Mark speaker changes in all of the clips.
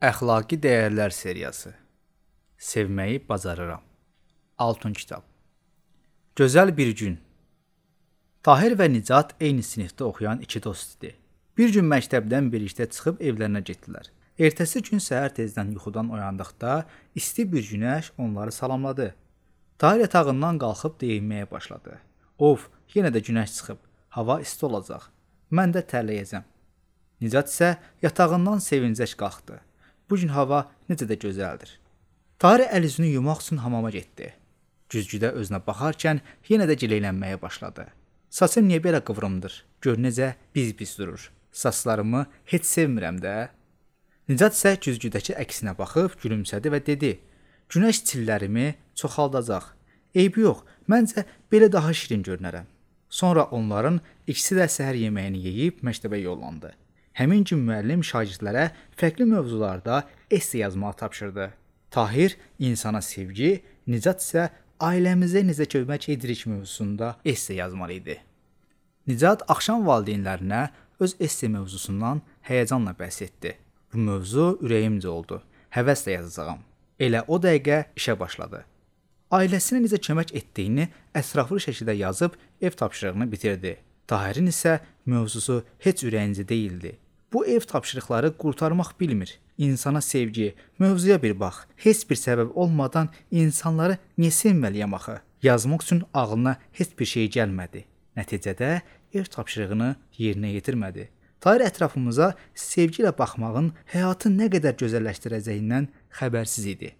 Speaker 1: Əxlaqi dəyərlər seriyası. Sevməyi bacarıram. Altun kitab. Gözəl bir gün. Tahir və Nicat eyni sinifdə oxuyan iki dost idi. Bir gün məktəbdən birlikdə çıxıb evlərinə getdilər. Ertəsi gün səhər tezdən yuxudan oyandıqda isti bir günəş onları salamladı. Tahir yatağından qalxıb deyinməyə başladı. Of, yenə də günəş çıxıb. Hava isti olacaq. Mən də tərləyəcəm. Nicat isə yatağından sevincək qalxdı. Bu gün hava necə də gözəldir. Tahir əl-üzünü yumaq üçün hamama getdi. Güzgüdə özünə baxarkən yenə də gileylənməyə başladı. Saçım niyə belə qıvrımdır? Gör necə biz durur. Saçlarımı heç sevmirəm də. Nicat isə güzgüdəki əksinə baxıb gülümsədi və dedi: Günəş çillərimi çoxaldacaq. Eybi yox, məncə belə daha şirin görünərəm. Sonra onların ikisi də səhər yeməyini yeyib məktəbə yollandı. Həmin gün müəllim şagirdlərə fərqli mövzularda esse yazmağı tapşırdı. Tahir insana sevgi, Nicat isə ailəmizə necə kömək edirik mövzusunda esse yazmalı idi. Nicat axşam valideynlərinə öz esse mövzusundan həyəcanla bəhs etdi. Bu mövzu ürəyimcə oldu. Həvəslə yazacağam. Elə o dəqiqə işə başladı. Ailəsinə necə kömək etdiyini ətraflı şəkildə yazıb ev tapşırığını bitirdi. Tahirin isə mövzusu heç ürəyincə deyildi. Bu ev tapşırıqları qurtarmaq bilmir. İnsana sevgi, mövzuya bir bax. Heç bir səbəb olmadan insanları niyə sevməliyəm axı? Yazmaq üçün ağlına heç bir şey gəlmədi. Nəticədə ev tapşırığını yerinə yetirmədi. Tahir ətrafımıza sevgi ilə baxmağın həyatı nə qədər gözəlləşdirəcəyindən xəbərsiz idi.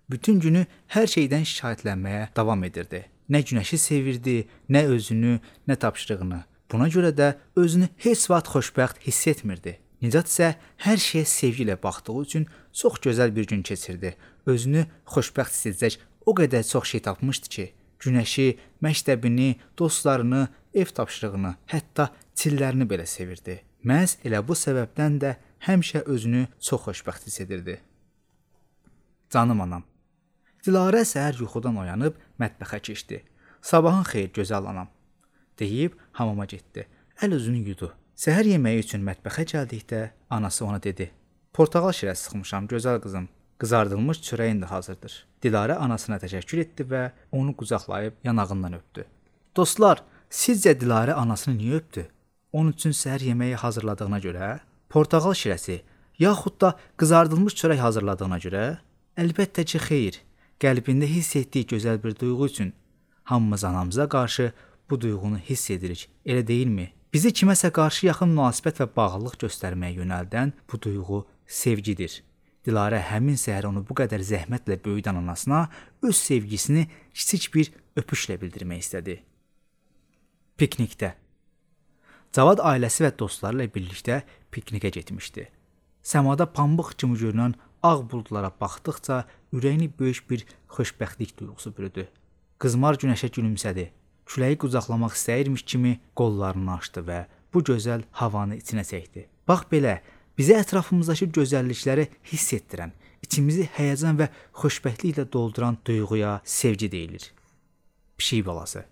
Speaker 1: Bütün günü hər şeydən şikayətlənməyə davam edirdi. Nə günəşi sevirdi, nə özünü, nə tapşırığını. Buna görə də özünü heç vaxt xoşbəxt hiss etmirdi. Nicat isə hər şeyə sevgi ilə baxdığı üçün çox gözəl bir gün keçirdi. Özünü xoşbəxt hiss edəcək o qədər çox şey tapmışdı ki, günəşi, məktəbini, dostlarını, ev tapşırığını, hətta çillərini belə sevirdi. Məhz elə bu səbəbdən də həmişə özünü çox xoşbəxt hiss edirdi. Canım anam. Dilarə səhər yuxudan oyanıb mətbəxə keçdi. Sabahın xeyir gözəl anam, deyib hamama getdi. Əl-üzünü yudu. Səhər yeməyi üçün mətbəxə gəldikdə anası ona dedi: Portağal şirəsi sıxmışam, gözəl qızım. Qızardılmış çörəyin də hazırdır. Dilarə anasına təşəkkür etdi və onu qucaqlayıb yanağından öpdü. Dostlar, sizcə Dilarə anasını niyə öpdü? Onun üçün səhər yeməyi hazırladığına görə, portağal şirəsi, yaxud da qızardılmış çörək hazırladığına görə? Əlbəttə ki, xeyr. Qəlbində hiss etdiyi gözəl bir duyğu üçün. Hamımız anamıza qarşı bu duyğunu hiss edirik, elə deyilmi? Bizi kiməsə qarşı yaxın münasibət və bağlılıq göstərməyə yönəldən bu duyğu sevgidir. Dilarə həmin səhər onu bu qədər zəhmətlə böyüdən anasına öz sevgisini kiçik bir öpüşlə bildirmək istədi. Piknikdə. Cavad ailəsi və dostları ilə birlikdə piknikə getmişdi. Səmada pambıq kimi görünən ağ buludlara baxdıqca ürəyini böyük bir xoşbəxtlik duyğusu bürüdü. Qızmar günəşə gülümsədi. Küləyi qucaqlamaq istəyirmiş kimi qollarını açdı və bu gözəl havanı içinə çəkdi. Bax belə, bizə ətrafımızdakı gözəllikləri hiss etdirən, içimizi həyəcan və xoşbəxtliklə dolduran duyğuya sevgi deyilir. Pişik balası.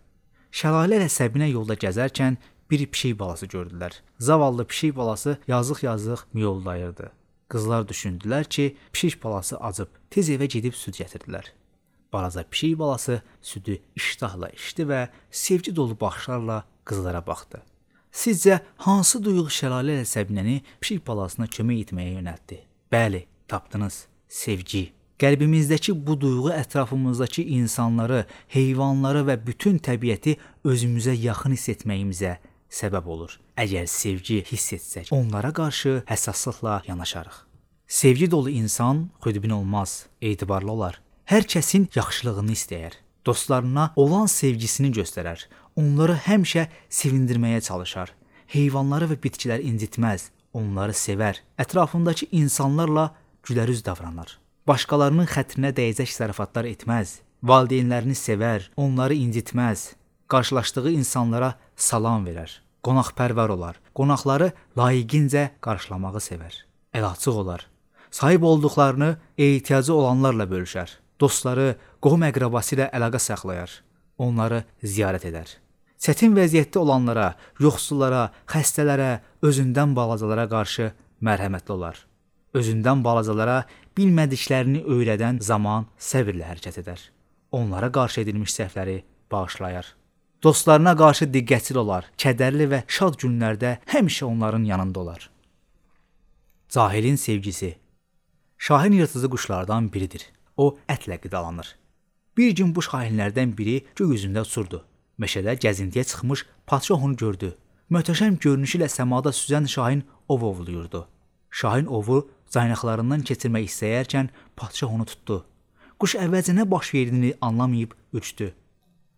Speaker 1: Şəlalə ilə Səbinə yolda gəzərkən bir pişik balası gördülər. Zavallı pişik balası yazıq-yazıq miyovlayırdı. Qızlar düşündülər ki, pişik balası acıb, tez evə gedib süd gətirdilər. Balaca pişik balası südü iştahla içdi və sevgi dolu baxışlarla qızlara baxdı. Sizcə, hansı duyğu şəlalə ilə Səbinəni pişik balasına kömək etməyə yönəltdi? Bəli, tapdınız, sevgi. Qəlbimizdəki bu duyğu ətrafımızdakı insanları, heyvanları və bütün təbiəti özümüzə yaxın hiss etməyimizə səbəb olur. Əgər sevgi hiss etsək, onlara qarşı həssaslıqla yanaşarıq. Sevgi dolu insan xudbin olmaz, etibarlı olar. Hər kəsin yaxşılığını istəyər. Dostlarına olan sevgisini göstərər. Onları həmişə sevindirməyə çalışar. Heyvanları və bitkiləri incitməz, onları sevər. Ətrafındakı insanlarla gülərüz davranar. Başqalarının xətrinə dəyəcək zarafatlar etməz. Valideynlərini sevər, onları incitməz. Qarşılaşdığı insanlara salam verər. Qonaqpərvər olar. Qonaqları layiqincə qarşılamağı sevər. Əlaçıq olar. Sahib olduqlarını ehtiyacı olanlarla bölüşər. Dostları, qohum-əqrabası ilə əlaqə saxlayar. Onları ziyarət edər. Çətin vəziyyətdə olanlara, yoxsullara, xəstələrə, özündən balacalara qarşı mərhəmətli olar. Özündən balacalara bilmədiklərini öyrədən zaman səbirlə hərəkət edər. Onlara qarşı edilmiş səhvləri bağışlayar. Dostlarına qarşı diqqətli olar, kədərli və şad günlərdə həmişə onların yanında olar. Cahilin sevgisi. Şahin yırtıcı quşlardan biridir. O ətlə qidalanır. Bir gün bu şahinlərdən biri göy üzündə uçurdu. Meşədə gəzintiyə çıxmış padşah onu gördü. Möhtəşəm görünüşü ilə səmada süzən şahin ov ovluyurdu. Şahin ovu caynaqlarından keçirmək istəyərkən padşah onu tutdu. Quş əvvəlcə nə baş verdiyini anlamayıb uçdu.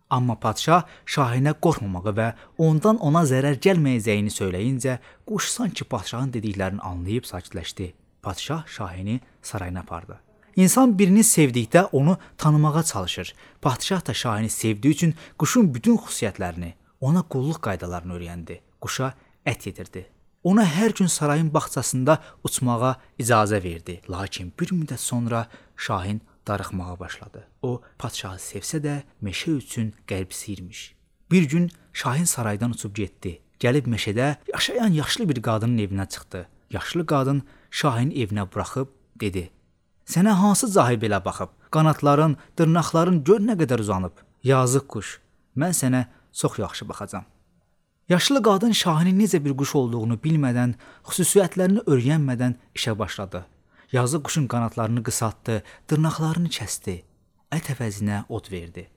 Speaker 1: Amma padşah şahinə qorxmamağı və ondan ona zərər gəlməyəcəyini söyləyincə, quş sanki padşahın dediklərini anlayıb sakitləşdi. Padşah şahini sarayına apardı. İnsan birini sevdikdə onu tanımağa çalışır. Padşah da şahini sevdiyi üçün quşun bütün xüsusiyyətlərini, ona qulluq qaydalarını öyrəndi. Quşa ət yedirdi. Ona hər gün sarayın bağçasında uçmağa icazə verdi. Lakin bir müddət sonra şahin darıxmağa başladı. O, padşahı sevsə də meşə üçün qəlbsiyirmiş. Bir gün şahin saraydan uçub getdi. Gəlib meşədə yaşayan yaşlı bir qadının evinə çıxdı. Yaşlı qadın şahin evinə buraxıb dedi: "Sənə hansı cahil belə baxıb? Qanatların, dırnaqların gör nə qədər uzanıb. Yazıq quş, mən sənə çox yaxşı baxacam." Yaşlı qadın şahinin necə bir quş olduğunu bilmədən, xüsusiyyətlərini öyrənmədən işə başladı. Yazıq quşun qanatlarını qısaltdı, dırnaqlarını kəsdi, ət əvəzinə ot verdi.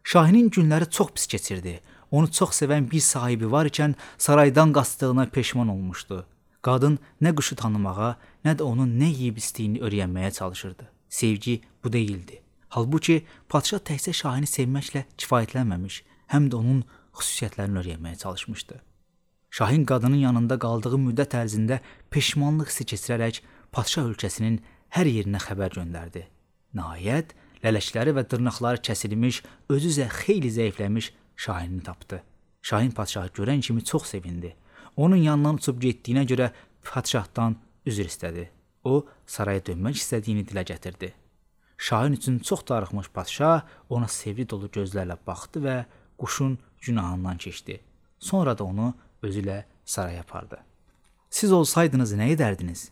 Speaker 1: Şahinin günləri çox pis keçirdi. Onu çox sevən bir sahibi var ikən saraydan qaçdığına peşman olmuşdu. Qadın nə quşu tanımağa, nə də onun nə yeyib istiyini öyrənməyə çalışırdı. Sevgi bu deyildi. Halbuki padşah təkcə şahini sevməklə kifayətlənməmiş, həm də onun xüsusiyyətlərini öyrənməyə çalışmışdı. Şahin qadının yanında qaldığı müddət ərzində peşmanlıq hissi keçirərək padşah ölkəsinin hər yerinə xəbər göndərdi. Nəhayət, lələkləri və dırnaqları kəsilmiş, özü isə xeyli zəifləmiş şahinini tapdı. Şahin padşahı görən kimi çox sevindi. Onun yanından uçub getdiyinə görə padşahdan üzr istədi. O, saraya dönmək istədiyini dilə gətirdi. Şahin üçün çox darıxmış padşah ona sevgi dolu gözlərlə baxdı və quşun günahından keçdi. Sonra da onu özü ilə saraya apardı. Siz olsaydınız nə edərdiniz?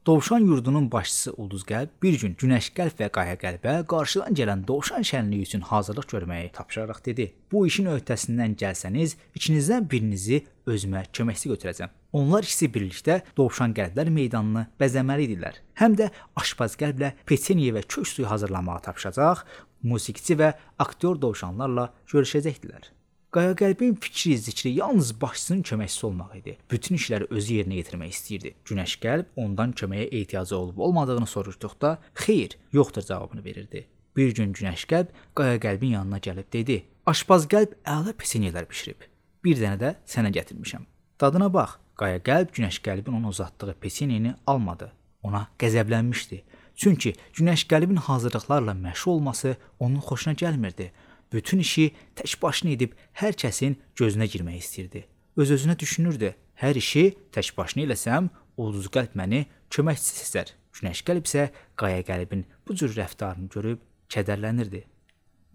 Speaker 1: Dovşan yurdunun başçısı Ulduzqəlb bir gün Günəşqəlb və Qayaqəlbə qarşıdan gələn dovşan şənliyi üçün hazırlıq görməyi tapşıraraq dedi: "Bu işin öhdəsindən gəlsəniz, ikinizdən birinizi özümə köməkçi götürəcəm." Onlar ikisi birlikdə dovşan qəlblər meydanını bəzəməli idilər. Həm də aşpaz qəlblə peçeniya və kök suyu hazırlamağı tapşıracaq, musiqiçi və aktyor dovşanlarla görüşəcəkdilər. Qayaqəlbin fikri, zikri yalnız başçısının köməkçisi olmaq idi. Bütün işləri özü yerinə yetirmək istəyirdi. Günəşqəlb ondan köməyə ehtiyacı olub-olmadığını soruşduqda, "Xeyr, yoxdur" cavabını verirdi. Bir gün Günəşqəlb Qayaqəlbin yanına gəlib dedi: "Aşpaz qəlb əla peçenyelər bişirib. Bir dənə də sənə gətirmişəm. Dadına bax." Qayaqəlb Günəşqəlbin ona uzatdığı peçenyeni almadı. Ona qəzəblənmişdi. Çünki Günəşqəlbin hazırlıqlarla məşğul olması onun xoşuna gəlmirdi. Bütün işi tək başına edib hər kəsin gözünə girmək istəyirdi. Öz-özünə düşünürdü: "Hər işi tək başına eləsəm, Ulduzqəlb məni köməkçi seçər." Günəşqəlb isə Qayaqəlbin bu cür rəftarını görüb kədərlənirdi.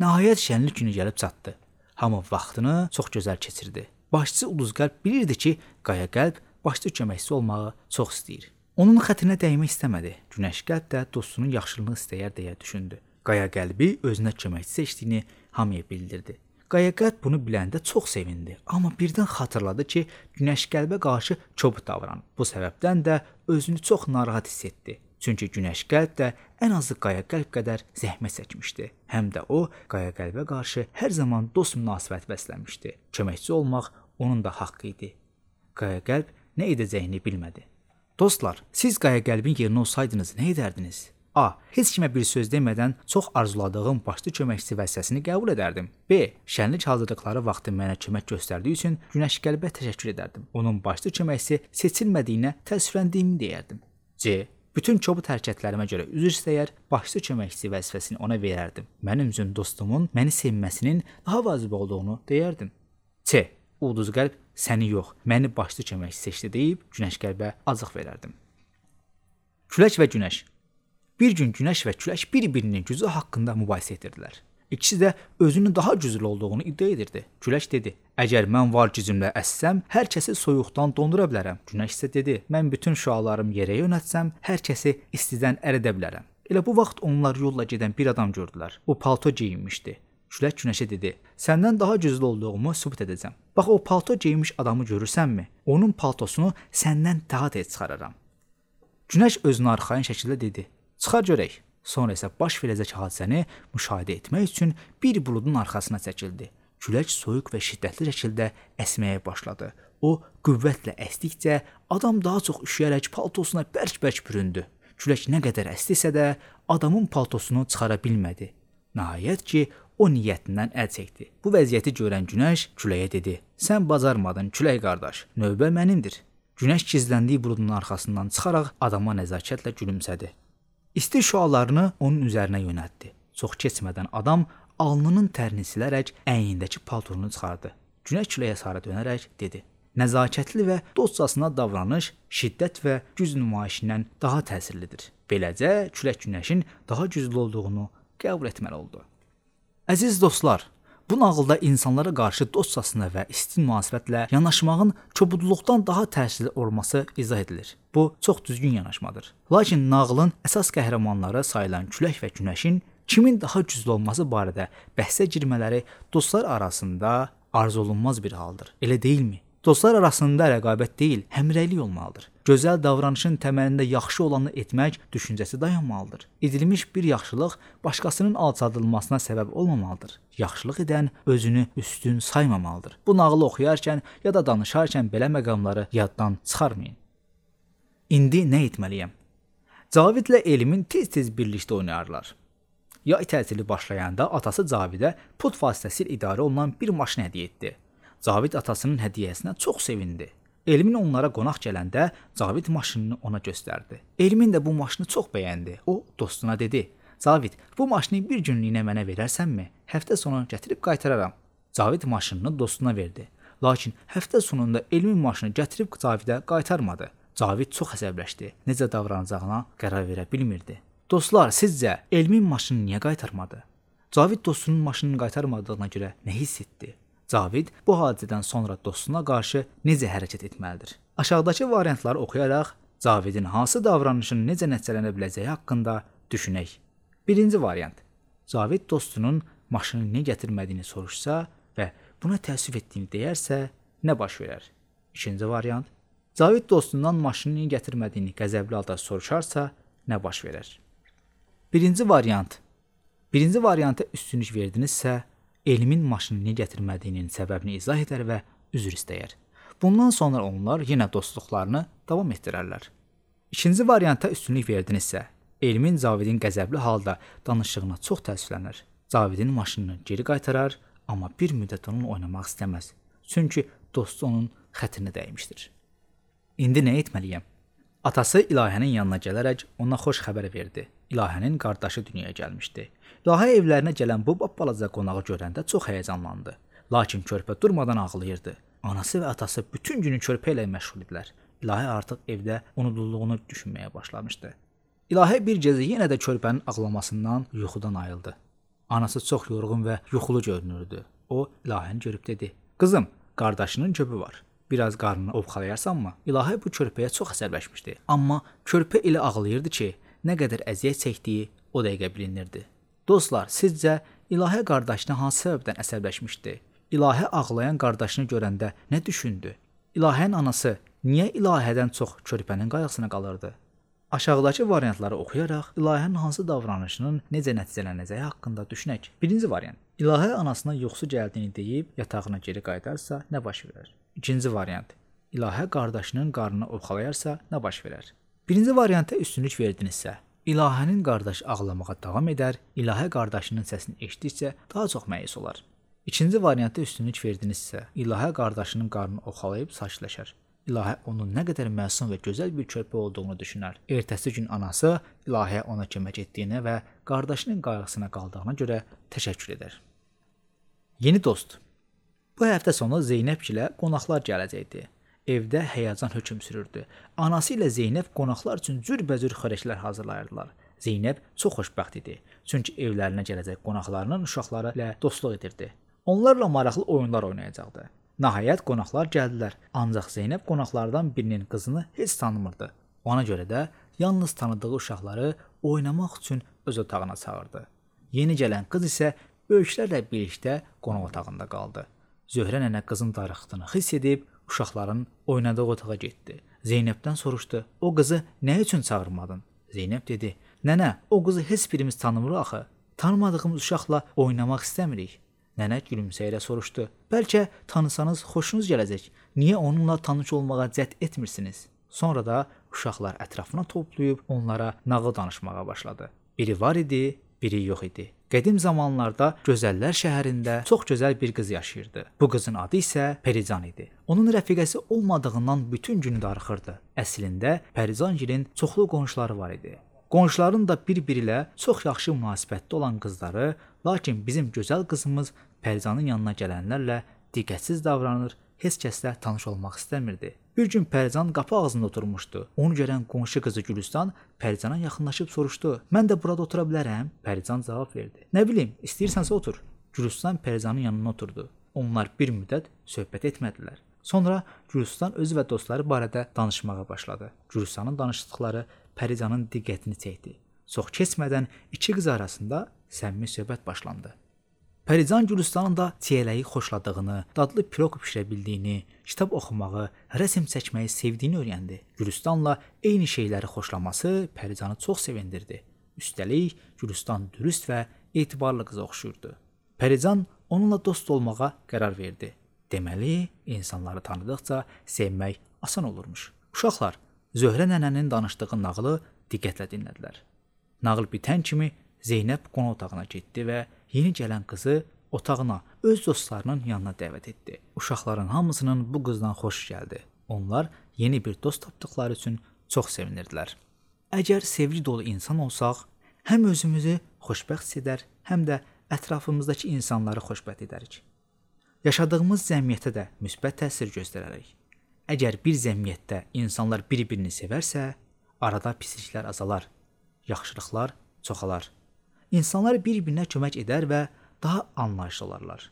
Speaker 1: Nəhayət şənlik günü gəlib çatdı. Hamı vaxtını çox gözəl keçirdi. Başçı Ulduzqəlb bilirdi ki, Qayaqəlb başçı köməkçisi olmağı çox istəyir. Onun xətrinə dəymək istəmədi. Günəşqəlb də dostunun yaxşılığını istəyər deyə düşündü. Qayaqəlbi özünə köməkçi seçdiyini hamıya bildirdi. Qayaqəlb bunu biləndə çox sevindi, amma birdən xatırladı ki, Günəşqəlbə qarşı kobud davranıb. Bu səbəbdən də özünü çox narahat hiss etdi. Çünki Günəşqəlb də ən azı Qayaqəlb qədər zəhmət çəkmişdi. Həm də o, Qayaqəlbə qarşı hər zaman dost münasibət bəsləmişdi. Köməkçi olmaq onun da haqqı idi. Qayaqəlb nə edəcəyini bilmədi. Dostlar, siz Qayaqəlbin yerinə olsaydınız nə edərdiniz? A. Heç kimə bir söz demədən çox arzuladığım başçı köməkçisi vəzifəsini qəbul edərdim. B. Şənlik hazırlıqları vaxtı mənə kömək göstərdiyi üçün Günəşqəlbə təşəkkür edərdim. Onun başçı köməkçisi seçilmədiyinə təəssüfləndiyimi deyərdim. C. Bütün kobud hərəkətlərimə görə üzr istəyər, başçı köməkçisi vəzifəsini ona verərdim. Mənim üçün dostumun məni sevməsinin daha vacib olduğunu deyərdim. C. Ulduzqəlb səni yox, məni başçı köməkçisi seçdi deyib Günəşqəlbə acıq verərdim. Külək və günəş. Bir gün günəş və külək bir-birinin gücü haqqında mübahisə edirdilər. İkisi də özünün daha güclü olduğunu iddia edirdi. Külək dedi: "Əgər mən var gücümlə əssəm, hər kəsi soyuqdan dondura bilərəm." Günəş isə dedi: "Mən bütün şüalarımı yerə yönəltsəm, hər kəsi istidən əridə bilərəm." Elə bu vaxt onlar yolla gedən bir adam gördülər. O palto geyinmişdi. Külək Günəşə dedi: "Səndən daha güclü olduğumu sübut edəcəm. Bax o palto geyinmiş adamı görürsənmi? Onun paltosunu səndən daha tez çıxararam." Günəş özünü arxayın şəkildə dedi: "Çıxar görək." Sonra isə baş verəcək hadisəni müşahidə etmək üçün bir buludun arxasına çəkildi. Külək soyuq və şiddətli şəkildə əsməyə başladı. O qüvvətlə əsdikcə adam daha çox üşüyərək paltosuna bərk-bərk büründü. Külək nə qədər əsdisə də adamın paltosunu çıxara bilmədi. Nəhayət ki, o niyyətindən əl çəkdi. Bu vəziyyəti görən Günəş küləyə dedi: "Sən bacarmadın, külək qardaş, növbə mənimdir." Günəş gizləndiyi buludun arxasından çıxaraq adama nəzakətlə gülümsədi. İsti şüalarını onun üzərinə yönəltdi. Çox keçmədən adam alnının tərini silərək əynindəki paltonu çıxardı. Günəş küləyə sarı dönərək dedi: "Nəzakətli və dostcasına davranış şiddət və güc nümayişindən daha təsirlidir." Beləcə külək Günəşin daha güclü olduğunu qəbul etməli oldu. Əziz dostlar, bu nağılda insanlara qarşı dostcasına və isti münasibətlə yanaşmağın kobudluqdan daha təsirli olması izah edilir. Bu çox düzgün yanaşmadır. Lakin nağılın əsas qəhrəmanları sayılan külək və Günəşin kimin daha güclü olması barədə bəhsə girmələri dostlar arasında arzulunmaz bir haldır. Elə deyilmi? Dostlar arasında rəqabət deyil, həmrəylik olmalıdır. Gözəl davranışın təməlində yaxşı olanı etmək düşüncəsi dayanmalıdır. Edilmiş bir yaxşılıq başqasının alçaldılmasına səbəb olmamalıdır. Yaxşılıq edən özünü üstün saymamalıdır. Bu nağılı oxuyarkən ya da danışarkən belə məqamları yaddan çıxarmayın. İndi nə etməliyəm? Cavidlə Elmin tez-tez birlikdə oynayarlar. Yay tətili başlayanda atası Cavidə pul vasitəsilə idarə olunan bir maşın hədiyyə etdi. Cavid atasının hədiyyəsinə çox sevindi. Elmin onlara qonaq gələndə Cavid maşınını ona göstərdi. Elmin də bu maşını çox bəyəndi. O dostuna dedi: "Cavid, bu maşını bir günlüklə mənə verərsənmi? Həftə sonu gətirib qaytararam." Cavid maşınını dostuna verdi. Lakin həftə sonunda Elmin maşını gətirib Cavidə qaytarmadı. Cavid çox əsəbləşdi. Necə davranacağına qərar verə bilmirdi. Dostlar, sizcə Elmin maşını niyə qaytarmadı? Cavid dostunun maşınını qaytarmadığına görə nə hiss etdi? Cavid bu hadisədən sonra dostuna qarşı necə hərəkət etməlidir? Aşağıdakı variantları oxuyaraq Cavidin hansı davranışın necə nəticələnə biləcəyi haqqında düşünək. Birinci variant. Cavid dostunun maşını niyə gətirmədiyini soruşsa və buna təəssüf etdiyini deyərsə, nə baş verər? İkinci variant. Cavid dostundan maşını niyə gətirmədiyini qəzəbli halda soruşarsa, nə baş verər? Birinci varianta üstünlük verdinizsə, Elmin maşını niyə gətirmədiyinin səbəbini izah edər və üzr istəyər. Bundan sonra onlar yenə dostluqlarını davam etdirərlər. İkinci varianta üstünlük verdinizsə, Elmin Cavidin qəzəbli halda danışdığına çox təəssüflənər. Cavidin maşınını geri qaytarar, amma bir müddət onunla oynamaq istəməz. Çünki dostu onun xətrinə dəymişdir. İndi nə etməliyəm? Atası İlahənin yanına gələrək ona xoş xəbər verdi. İlahənin qardaşı dünyaya gəlmişdi. İlahə evlərinə gələn bu balaca qonağı görəndə çox həyəcanlandı. Lakin körpə durmadan ağlayırdı. Anası və atası bütün günü körpə ilə məşğul idilər. İlahə artıq evdə unudulduğunu düşünməyə başlamışdı. İlahə bir gecə yenə də körpənin ağlamasından yuxudan ayıldı. Anası çox yorğun və yuxulu görünürdü. O İlahəni görüb dedi: "Qızım, qardaşının köpü var. Biraz qarnını ovxalayarsanmı?" İlahə bu körpəyə çox əsəbləşmişdi. Amma körpə elə ağlayırdı ki, nə qədər əziyyət çəkdiyi o dəqiqə bilinirdi. Dostlar, sizcə İlahə qardaşına hansı səbəbdən əsəbləşmişdi? İlahə ağlayan qardaşını görəndə nə düşündü? İlahənin anası niyə İlahədən çox körpənin qayğısına qalırdı? Aşağıdakı variantları oxuyaraq İlahənin hansı davranışının necə nəticələnəcəyi haqqında düşünək. Birinci variant. İlahə anasına yuxusu gəldiyini deyib yatağına geri qayıdarsa nə baş verər? İkinci variant. İlahə qardaşının qarnını ovxalayarsa nə baş verər? Birinci varianta üstünlük verdinizsə, İlahənin qardaşı ağlamağa davam edər, İlahə qardaşının səsini eşitdikcə daha çox məyus olar. İkinci varianta üstünlük verdinizsə, İlahə qardaşının qarnını ovxalayıb sakitləşər. İlahə onun nə qədər məsum və gözəl bir körpə olduğunu düşünər. Ertəsi gün anası İlahəyə ona kömək etdiyinə və qardaşının qayğısına qaldığına görə təşəkkür edər. Yeni dost. Bu həftə sonu Zeynəb ilə qonaqlar gələcəkdi. Evdə həyəcan hökm sürürdü. Anası ilə Zeynəb qonaqlar üçün cürbəcür xörəklər hazırlayırdılar. Zeynəb çox xoşbəxt idi, çünki evlərinə gələcək qonaqlarının uşaqları ilə dostluq edirdi. Onlarla maraqlı oyunlar oynayacaqdı. Nəhayət qonaqlar gəldilər, ancaq Zeynəb qonaqlardan birinin qızını heç tanımırdı. Ona görə də yalnız tanıdığı uşaqları oynamaq üçün öz otağına çağırdı. Yeni gələn qız isə böyüklərlə birlikdə qonaq otağında qaldı. Zöhrə nənə qızın darıxdığını hiss edib uşaqların oynadığı otağa getdi. Zeynəbdən soruşdu: "O qızı nə üçün çağırmadın?" Zeynəb dedi: "Nənə, o qızı heç birimiz tanımırıq axı. Tanımadığımız uşaqla oynamaq istəmirik." Nənə gülümsəyərək soruşdu: "Bəlkə tanısanız xoşunuz gələcək. Niyə onunla tanış olmağa cəhd etmirsiniz?" Sonra da uşaqlar ətrafına toplayıb onlara nağıl danışmağa başladı. Biri var idi, biri yox idi. Qədim zamanlarda Gözəllər şəhərində çox gözəl bir qız yaşayırdı. Bu qızın adı isə Pərican idi. Onun rəfiqəsi olmadığından bütün gün darıxırdı. Əslində Pərizangilin çoxlu qonşuları var idi. Qonşuların da bir-biri ilə çox yaxşı münasibətdə olan qızları, lakin bizim gözəl qızımız Pəricanın yanına gələnlərlə diqqətsiz davranır, heç kəslə tanış olmaq istəmirdi. Bir gün Pərican qapı ağzında oturmuşdu. Onu görən qonşu qızı Gülüstan Pəricana yaxınlaşıb soruşdu: "Mən də burada otura bilərəm?" Pərican cavab verdi: "Nə bilim, istəyirsənsə otur." Gülüstan Pəricanın yanına oturdu. Onlar bir müddət söhbət etmədilər. Sonra Gülüstan özü və dostları barədə danışmağa başladı. Gülüstanın danışdıqları Pəricanın diqqətini çəkdi. Çox keçmədən iki qız arasında səmimi söhbət başlandı. Pərican Gülüstanın da çiyələyi xoşladığını, dadlı piroq bişirə bildiyini, kitab oxumağı, rəsm çəkməyi sevdiyini öyrəndi. Gülüstanla eyni şeyləri xoşlaması Pəricanı çox sevindirdi. Üstəlik, Gülüstan dürüst və etibarlı qıza oxşuyurdu. Pərican onunla dost olmağa qərar verdi. Deməli, insanları tanıdıqca sevmək asan olurmuş. Uşaqlar Zöhrə nənənin danışdığı nağılı diqqətlə dinlədilər. Nağıl bitən kimi Zeynəb qonaq otağına getdi və yeni gələn qızı otağına öz dostlarının yanına dəvət etdi. Uşaqların hamısının bu qızdan xoş gəldi. Onlar yeni bir dost tapdıqları üçün çox sevinirdilər. Əgər sevgi dolu insan olsaq, həm özümüzü xoşbəxt hiss edər, həm də ətrafımızdakı insanları xoşbəxt edərik. Yaşadığımız cəmiyyətə də müsbət təsir göstərərik. Əgər bir cəmiyyətdə insanlar bir-birini sevərsə, arada pisliklər azalar, yaxşılıqlar çoxalar. İnsanlar bir-birinə kömək edər və daha anlayışlı olarlar.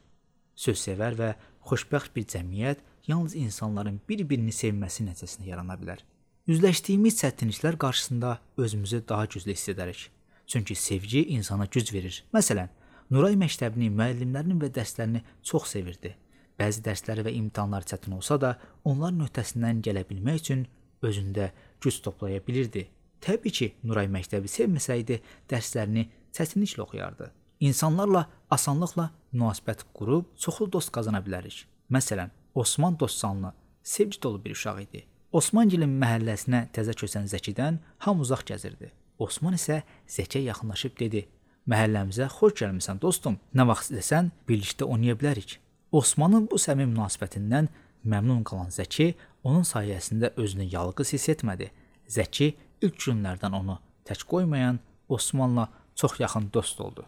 Speaker 1: Sözsevər və xoşbəxt bir cəmiyyət yalnız insanların bir-birini sevməsi nəticəsində yarana bilər. Üzləşdiyimiz çətinliklər qarşısında özümüzü daha güclü hiss edərik. Çünki sevgi insana güc verir. Məsələn, Nuray məktəbini, müəllimlərini və dərslərini çox sevirdi. Bəzi dərsləri və imtahanlar çətin olsa da, onların öhdəsindən gələ bilmək üçün özündə güc toplaya bilirdi. Təbii ki, Nuray məktəbi sevməsəydi, dərslərini çətinliklə oxuyardı. İnsanlarla asanlıqla münasibət qurub çoxlu dost qazana bilərik. Məsələn, Osman Dostcanlı sevgi dolu bir uşaq idi. Osmangilin məhəlləsinə təzə köçən Zəkidən hamı uzaq gəzirdi. Osman isə Zəkiyə yaxınlaşıb dedi: "Məhəlləmizə xoş gəlmisən dostum. Nə vaxt istəsən birlikdə oynaya bilərik." Osmanın bu səmimi münasibətindən məmnun qalan Zəki onun sayəsində özünü yalqız hiss etmədi. Zəki ilk günlərdən onu tək qoymayan Osmanla çox yaxın dost oldu.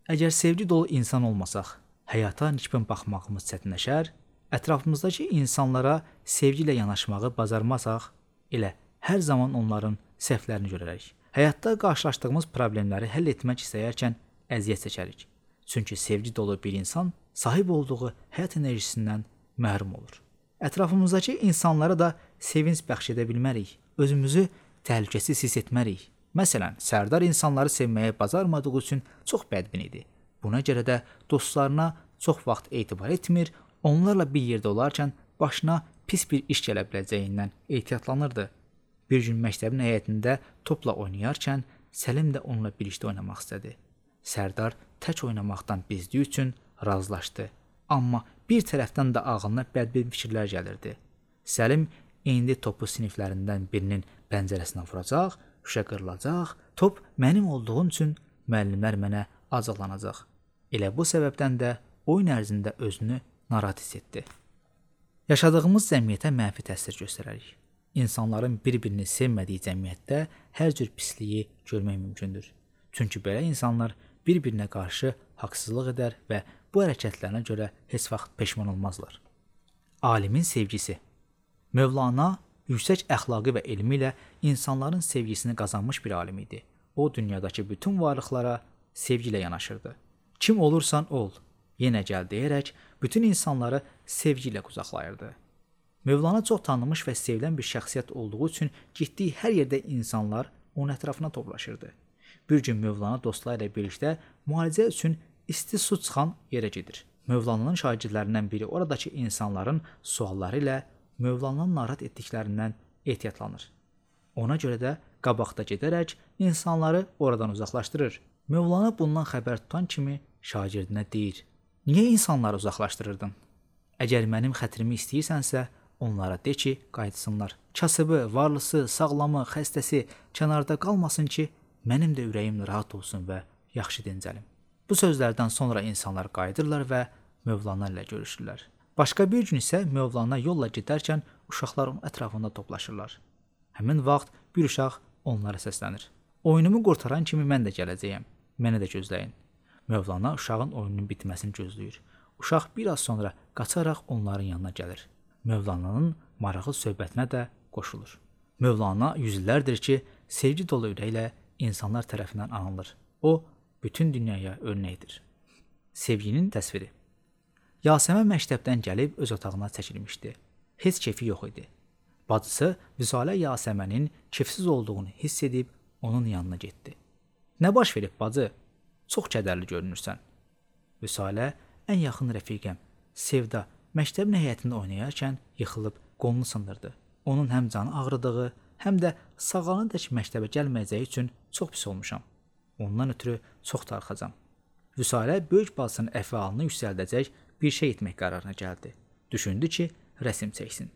Speaker 1: Əgər sevgi dolu insan olmasaq, həyata nikbin baxmağımız çətinləşər, ətrafımızdakı insanlara sevgi ilə yanaşmağı bacarmasaq, elə hər zaman onların səhvlərini görərək. Həyatda qarşılaşdığımız problemləri həll etmək istəyərkən əziyyət çəkərik. Çünki sevgi dolu bir insan sahib olduğu həyat enerjisindən məhrum olur. Ətrafımızdakı insanlara da sevinc bəxş edə bilmərik. Özümüzü təhlükəsiz hiss etmərik. Məsələn, Sərdar insanları sevməyə bacarmadığı üçün çox bədbin idi. Buna görə də dostlarına çox vaxt etibar etmir, onlarla bir yerdə olarkən başına pis bir iş gələ biləcəyindən ehtiyatlanırdı. Bir gün məktəbin həyətində topla oynayarkən Səlim də onunla birlikdə oynamaq istədi. Sərdar tək oynamaqdan bezdiyi üçün razılaşdı. Amma bir tərəfdən də ağlına bədbin fikirlər gəlirdi. Səlim indi topu siniflərindən birinin pəncərəsinə vuracaq, şüşə qırılacaq, top mənim olduğum üçün müəllimlər mənə acıqlanacaq. Elə bu səbəbdən də oyun ərzində özünü narahat hiss etdi. Yaşadığımız cəmiyyətə mənfi təsir göstərərik. İnsanların bir-birini sevmədiyi cəmiyyətdə hər cür pisliyi görmək mümkündür. Çünki belə insanlar bir-birinə qarşı haqsızlıq edər və bu hərəkətlərinə görə heç vaxt peşman olmazlar. Alimin sevgisi. Mövlana yüksək əxlaqı və elmi ilə insanların sevgisini qazanmış bir alim idi. o dünyadakı bütün varlıqlara sevgi ilə yanaşırdı. Kim olursan ol, yenə gəl deyərək bütün insanları sevgi ilə qucaqlayırdı. Mövlana çox tanınmış və sevilən bir şəxsiyyət olduğu üçün getdiyi hər yerdə insanlar onun ətrafına toplaşırdı. Bir gün Mövlana dostları ilə birlikdə müalicə üçün isti su çıxan yerə gedir. Mövlananın şagirdlərindən biri oradakı insanların sualları ilə Mövlananın narahat etdiklərindən ehtiyatlanır. Ona görə də qabaqda gedərək insanları oradan uzaqlaşdırır. Mövlana bundan xəbər tutan kimi şagirdinə deyir: "Niyə insanları uzaqlaşdırırdın? Əgər mənim xətrimi istəyirsənsə, onlara de ki, qayıtsınlar. Kasıbı, varlısı, sağlamı, xəstəsi kənarda qalmasın ki, mənim də ürəyim rahat olsun və yaxşı dincəlim." Bu sözlərdən sonra insanlar qayıdırlar və Mövlana ilə görüşürlər. Başqa bir gün isə Mövlana yolla gedərkən uşaqlar onun ətrafında toplaşırlar. Həmin vaxt bir uşaq onlara səslənir: "Oyunumu qurtaran kimi mən də gələcəyəm. Məni də gözləyin." Mövlana uşağın oyununun bitməsini gözləyir. Uşaq bir az sonra qaçaraq onların yanına gəlir. Mövlananın maraqlı söhbətinə də qoşulur. Mövlana yüzlərdir ki, sevgi dolu ürəklə insanlar tərəfindən anılır. O, bütün dünyaya örnəkdir. Sevginin təsviri. Yasəmən məktəbdən gəlib öz otağına çəkilmişdi. Heç keyfi yox idi. Bacısı Vüsalə Yasəmənin keyfsiz olduğunu hiss edib onun yanına getdi. "Nə baş verib bacı? Çox kədərli görünürsən." Vüsalə: "Ən yaxın rəfiqəm Sevda məktəbin həyətində oynayarkən yıxılıb qolunu sındırdı. Onun həm canı ağrıdığı, həm də sağalana-dək məktəbə gəlməyəcəyi üçün çox pis olmuşam. Ondan ötürü çox darıxacam." Vüsalə böyük bacısının əfalını yüksəldəcək bir şey etmək qərarına gəldi. Düşündü ki, rəsm çəksin.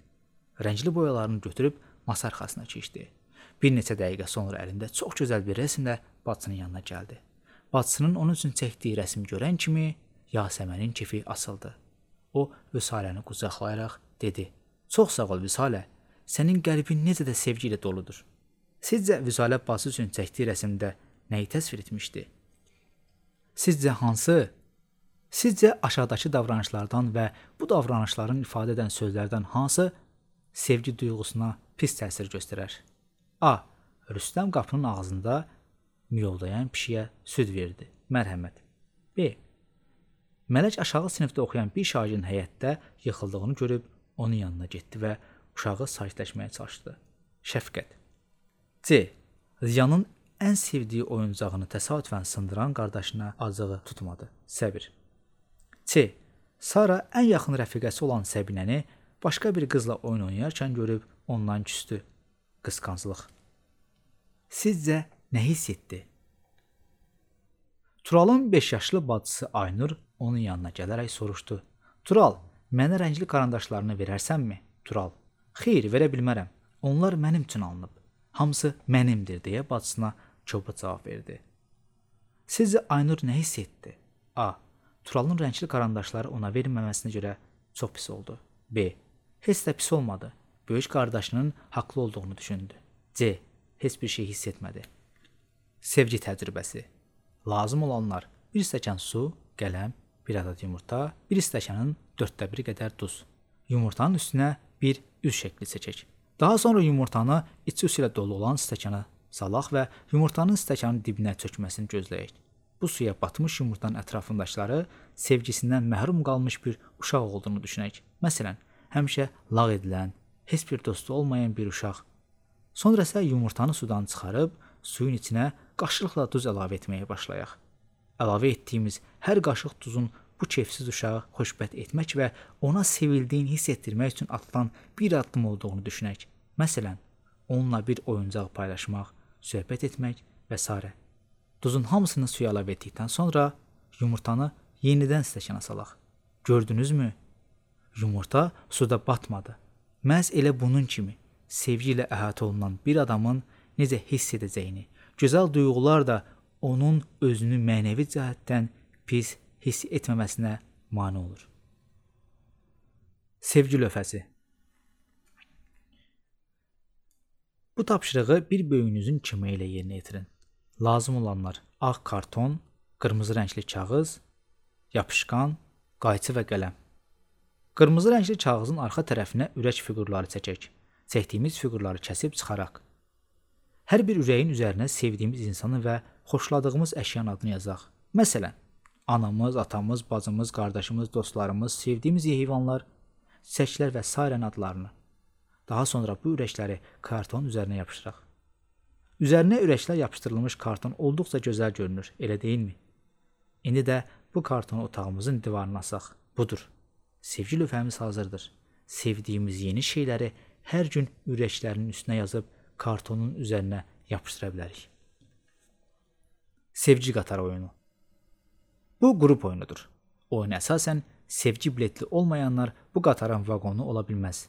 Speaker 1: Rəngli boyalarını götürüb masa arxasına keçdi. Bir neçə dəqiqə sonra əlində çox gözəl bir rəsmlə bacısının yanına gəldi. Bacısının onun üçün çəkdiyi rəsmi görən kimi Yasəmənin kefi açıldı. O, Vüsaləni qucaqlayaraq dedi: "Çox sağ ol Vüsalə, sənin qəlbin necə də sevgi ilə doludur." Sizcə Vüsalə bacısı üçün çəkdiyi rəsmdə nəyi təsvir etmişdi? Sizcə hansı? Sizcə aşağıdakı davranışlardan və bu davranışların ifadə edən sözlərdən hansı sevgi duyğusuna pis təsir göstərər? A. Rüstəm qapının ağzında miyoldayan pişiyə süd verdi. Mərhəmət. B. Mələk aşağı sinifdə oxuyan bir şagirdin həyətdə yıxıldığını görüb onun yanına getdi və uşağı sakitləşməyə çalışdı. Şəfqət. C. Ziyanın ən sevdiyi oyuncağını təsadüfən sındıran qardaşına acığı tutmadı. Səbir. C. Sara ən yaxın rəfiqəsi olan Səbinəni başqa bir qızla oyun oynayarkən görüb ondan küstü. Qısqanclıq. Sizcə nə hiss etdi? Turalın 5 yaşlı bacısı Aynur onun yanına gələrək soruşdu. Tural, mənə rəngli karandaşlarını verərsənmi? Tural. Xeyr, verə bilmərəm. Onlar mənim üçün alınıb. Hamısı mənimdir deyə bacısına kobud cavab verdi. Sizcə Aynur nə hiss etdi? A. Turalın rəngli karandaşları ona verilməməsinə görə çox pis oldu. B. Heç də pis olmadı. Böyük qardaşının haqlı olduğunu düşündü. C. Heç bir şey hiss etmədi. Sevgi təcrübəsi. Lazım olanlar: bir stəkan su, qələm, bir adet yumurta, bir stəkanın 1/4 qədər duz. Yumurtanın üstünə bir üz şəkli çəkək. Daha sonra yumurtanı içi su ilə dolu olan stəkana salaq və yumurtanın stəkanın dibinə çökməsini gözləyək. Bu suya batmış yumurtanın ətrafındakıları sevgisindən məhrum qalmış bir uşaq olduğunu düşünək. Məsələn, həmişə lağ edilən, heç bir dostu olmayan bir uşaq. Sonra isə yumurtanı sudan çıxarıb suyun içinə qaşıqla duz əlavə etməyə başlayaq. Əlavə etdiyimiz hər qaşıq duzun bu keyfsiz uşağı xoşbəxt etmək və ona sevildiyini hiss etdirmək üçün atılan bir addım olduğunu düşünək. Məsələn, onunla bir oyuncaq paylaşmaq, söhbət etmək və s. Duzun hamısını suya əlavə etdikdən sonra yumurtanı yenidən stəkana salaq. Gördünüzmü? Yumurta suda batmadı. Məhz elə bunun kimi sevgi ilə əhatə olunan bir adamın necə hiss edəcəyini, gözəl duyğular da onun özünü mənəvi cəhətdən pis hiss etməməsinə mane olur. Sevgi lövhəsi. Bu tapşırığı bir böyüyünüzün köməyi ilə yerinə yetirin. Lazım olanlar: ağ karton, qırmızı rəngli kağız, yapışqan, qayçı və qələm. Qırmızı rəngli kağızın arxa tərəfinə ürək fiqurları çəkək. Çəkdiyimiz fiqurları kəsib çıxaraq. Hər bir ürəyin üzərinə sevdiyimiz insanı və xoşladığımız əşyanın adını yazaq. Məsələn, anamız, atamız, bacımız, qardaşımız, dostlarımız, sevdiyimiz heyvanlar, çiçəklər və sairənin adlarını. Daha sonra bu ürəkləri kartonun üzərinə yapışdıraq. Üzərinə ürəklər yapışdırılmış karton olduqca gözəl görünür, elə deyilmi? İndi də bu kartonu otağımızın divarına asaq. Budur. Sevgi lövhəmiz hazırdır. Sevdiyimiz yeni şeyləri hər gün ürəklərinin üstünə yazıb kartonun üzərinə yapışdıra bilərik. Sevgi qatarı oyunu. Bu qrup oyunudur. Oyuna əsasən sevgi biletli olmayanlar bu qatarın vaqonu ola bilməz.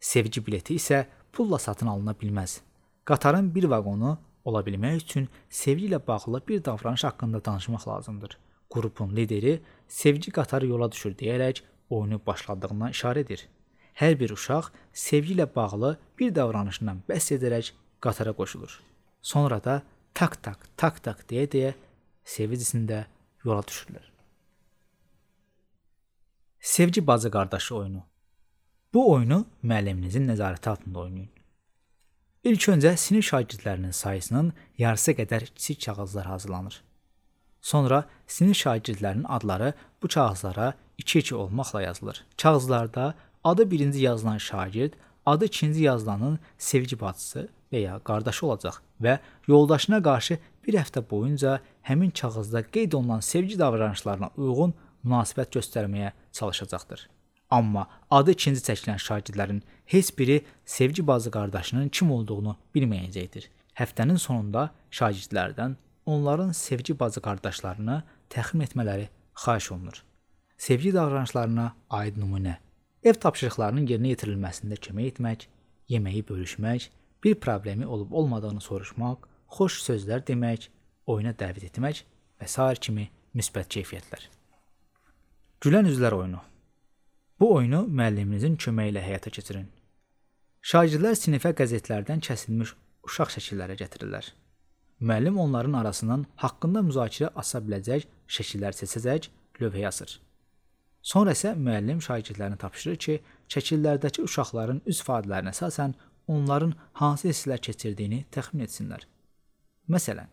Speaker 1: Sevgi bileti isə pulla satın alına bilməz. Qatarın bir vaqonu ola bilmək üçün sevgi ilə bağlı bir davranış haqqında danışmaq lazımdır. Qrupun lideri sevgi qatarı yola düşür deyərək oyunu başladığından işarə edir. Hər bir uşaq sevgi ilə bağlı bir davranışından bəhs edərək qatara qoşulur. Sonra da tak tak tak tak deyə sevinçlə yola düşürlər. Sevgi bacı qardaşı oyunu. Bu oyunu müəlliminizin nəzarəti altında oynayın. İlk öncə sinif şagirdlərinin sayısının yarısı qədər kiçik kağızlar hazırlanır. Sonra sinif şagirdlərinin adları bu kağızlara 2-2 olmaqla yazılır. Kağızlarda adı birinci yazılan şagird, adı ikinci yazılanın sevgi bacısı və ya qardaşı olacaq və yoldaşına qarşı bir həftə boyunca həmin kağızda qeyd olunan sevgi davranışlarına uyğun münasibət göstərməyə çalışacaqdır. Amma adı ikinci çəkilən şagirdlərin heç biri sevgi bacı qardaşının kim olduğunu bilməyəcəkdir. Həftənin sonunda şagirdlərdən onların sevgi bacı qardaşlarını təxmin etmələri xahiş olunur. Sevgi davranışlarına aid nümunə. Ev tapşırıqlarının yerinə yetirilməsində kömək etmək, yeməyi bölüşmək, bir problemi olub-olmadığını soruşmaq, xoş sözlər demək, oyuna dəvət etmək və sair kimi müsbət keyfiyyətlər. Gülən üzlər oyunu. Bu oyunu müəlliminizin köməyi ilə həyata keçirin. Şagirdlər sinifə qəzetlərdən kəsilmiş uşaq şəkilləri gətirirlər. Müəllim onların arasından haqqında müzakirə aça biləcək şəkillər seçəcək, lövhəyə asır. Sonra isə müəllim şagirdlərinə tapşırır ki, şəkillərdəki uşaqların üz ifadələrinə əsasən onların hansı hisslər keçirdiyini təxmin etsinlər. Məsələn,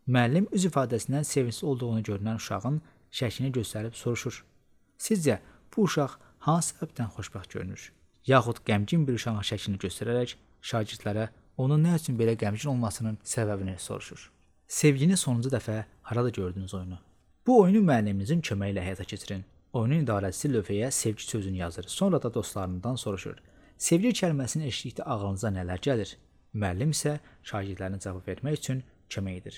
Speaker 1: müəllim üz ifadəsindən sevincli olduğunu görünən uşağın şəklini göstərib soruşur. Sizcə bu uşaq hansı səbəbdən xoşbəxt görünür? Yaxud qəmgin bir uşağın şəklini göstərərək şagirdlərə onun nə üçün belə qəmgin olmasının səbəbini soruşur. Sevgini sonuncu dəfə harada gördünüz oyunu? Bu oyunu müəlliminizin köməyi ilə həyata keçirin. Oyunun idarəçisi lövhəyə sevgi sözünü yazır. Sonra da dostlarından soruşur. Sevgi kəlməsini eşitdikdə ağlınıza nələr gəlir? Müəllim isə şagirdlərinə cavab vermək üçün kömək edir.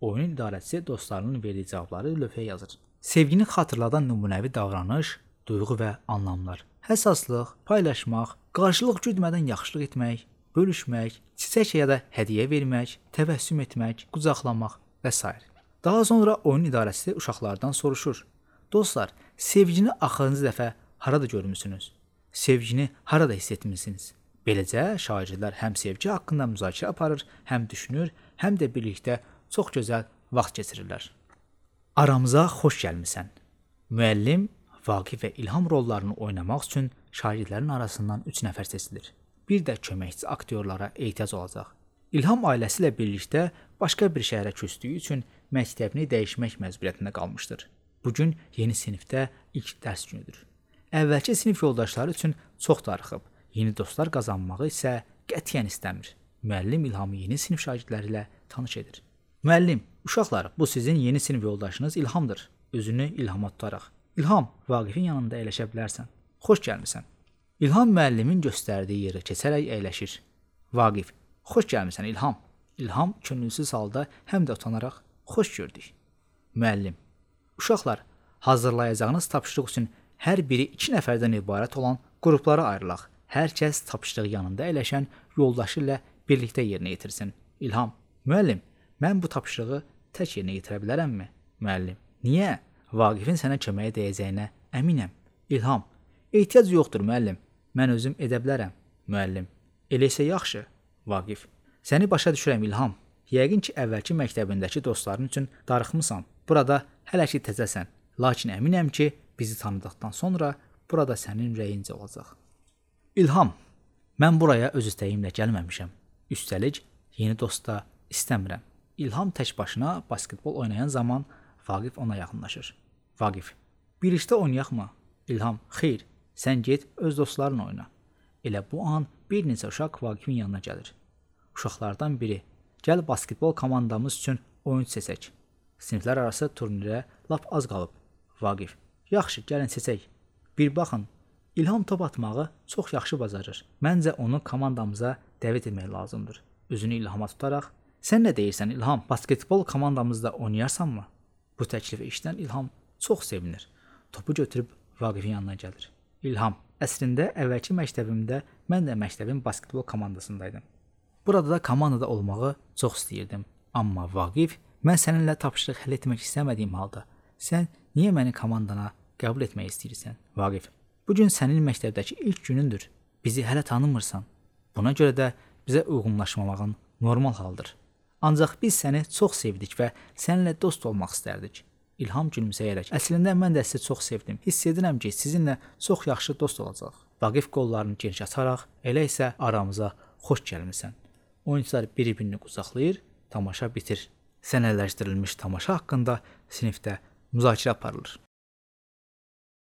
Speaker 1: Oyunun idarəçisi dostlarının verdiyi cavabları lövhəyə yazır. Sevgini xatırladan nümunəvi davranış, duyğu və anlamlar. Həssaslıq, paylaşmaq, qarşılıq güdmədən yaxşılıq etmək, bölüşmək, çiçək ya da hədiyyə vermək, təbəssüm etmək, qucaqlamaq və s. Daha sonra oyun idarəçisi uşaqlardan soruşur. Dostlar, sevgini axırıncı dəfə harada görmüsünüz? Sevgini harada hiss etmisiniz? Beləcə şagirdlər həm sevgi haqqında müzakirə aparır, həm düşünür, həm də birlikdə çox gözəl vaxt keçirirlər. Aramıza xoş gəlmisən. Müəllim, Vaqif və İlham rollarını oynamaq üçün şagirdlərin arasından 3 nəfər seçilir. Bir də köməkçi aktyorlara ehtiyac olacaq. İlham ailəsi ilə birlikdə başqa bir şəhərə köçdüyü üçün məktəbini dəyişmək məcburiyyətində qalmışdır. Bugün yeni sinifdə ilk dərs günüdür. Əvvəlki sinif yoldaşları üçün çox darıxıb, yeni dostlar qazanmağı isə qətiyyən istəmir. Müəllim İlhamı yeni sinif şagirdləri ilə tanış edir. Müəllim, uşaqlar, bu sizin yeni sinif yoldaşınız İlhamdır. Özünü İlhama tutaraq. İlham, Vaqifin yanında əyləşə bilərsən. Xoş gəlmisən. İlham müəllimin göstərdiyi yerə keçərək əyləşir. Vaqif, xoş gəlmisən İlham. İlham könülsüz halda həm də utanaraq xoş gördük. Müəllim, uşaqlar, hazırlayacağınız tapşırıq üçün hər biri 2 nəfərdən ibarət olan qruplara ayrılaq. Hər kəs tapşırıq yanında əyləşən yoldaşı ilə birlikdə yerinə yetirsin. İlham, müəllim, mən bu tapşırığı tək yerinə yetirə bilərəmmi? Müəllim, niyə? Vaqifin sənə köməyə dəyəcəyinə əminəm. İlham, ehtiyac yoxdur müəllim, mən özüm edə bilərəm. Müəllim, elə isə yaxşı. Vaqif, səni başa düşürəm İlham. Yəqin ki, əvvəlki məktəbindəki dostların üçün darıxmısan. Burada hələ ki təzəsən. Lakin əminəm ki, bizi tanıdıqdan sonra burada sənin ürəyincə olacaq. İlham, mən buraya öz istəyimlə gəlməmişəm. Üstəlik, Yeni dost da istəmirəm. İlham tək başına basketbol oynayan zaman Vaqif ona yaxınlaşır. Vaqif: "Birlikdə oynayaqmı?" İlham: "Xeyr, sən get öz dostlarınla oyna." Elə bu an bir neçə uşaq Vaqifin yanına gəlir. Uşaqlardan biri: "Gəl basketbol komandamız üçün oyunçu seçək. Siniflər arası turnirə lap az qalıb." Vaqif: "Yaxşı, gəlin seçək. Bir baxın, İlham top atmağı çox yaxşı bacarır. Məncə onu komandamıza dəvət etmək lazımdır." Üzünü İlhama tutaraq: "Sən nə deyirsən İlham? Basketbol komandamızda oynayarsanmı?" Bu təklifi eşidən İlham çox sevinir. Topu götürüb Vaqifin yanına gəlir. İlham: "Əslində əvvəlki məktəbimdə mən də məktəbin basketbol komandasındaydım. Burada da komandada olmağı çox istəyirdim. Amma Vaqif, mən səninlə tapşırıq həll etmək istəmədiyim halda sən niyə məni komandana qəbul etmək istəyirsən?" Vaqif: "Bu gün sənin məktəbdəki ilk günündür. Bizi hələ tanımırsan. Buna görə də bizə uyğunlaşmamağın normal haldır. Ancaq biz səni çox sevdik və səninlə dost olmaq istərdik." İlham gülümsəyərək: "Əslində mən də sizi çox sevdim. Hiss edirəm ki, sizinlə çox yaxşı dost olacaq." Vaqif qollarını geniş açaraq: "Elə isə aramıza xoş gəlmisən." Oyunçular bir-birini qucaqlayır, tamaşa bitir. Səhnələşdirilmiş tamaşa haqqında sinifdə müzakirə aparılır.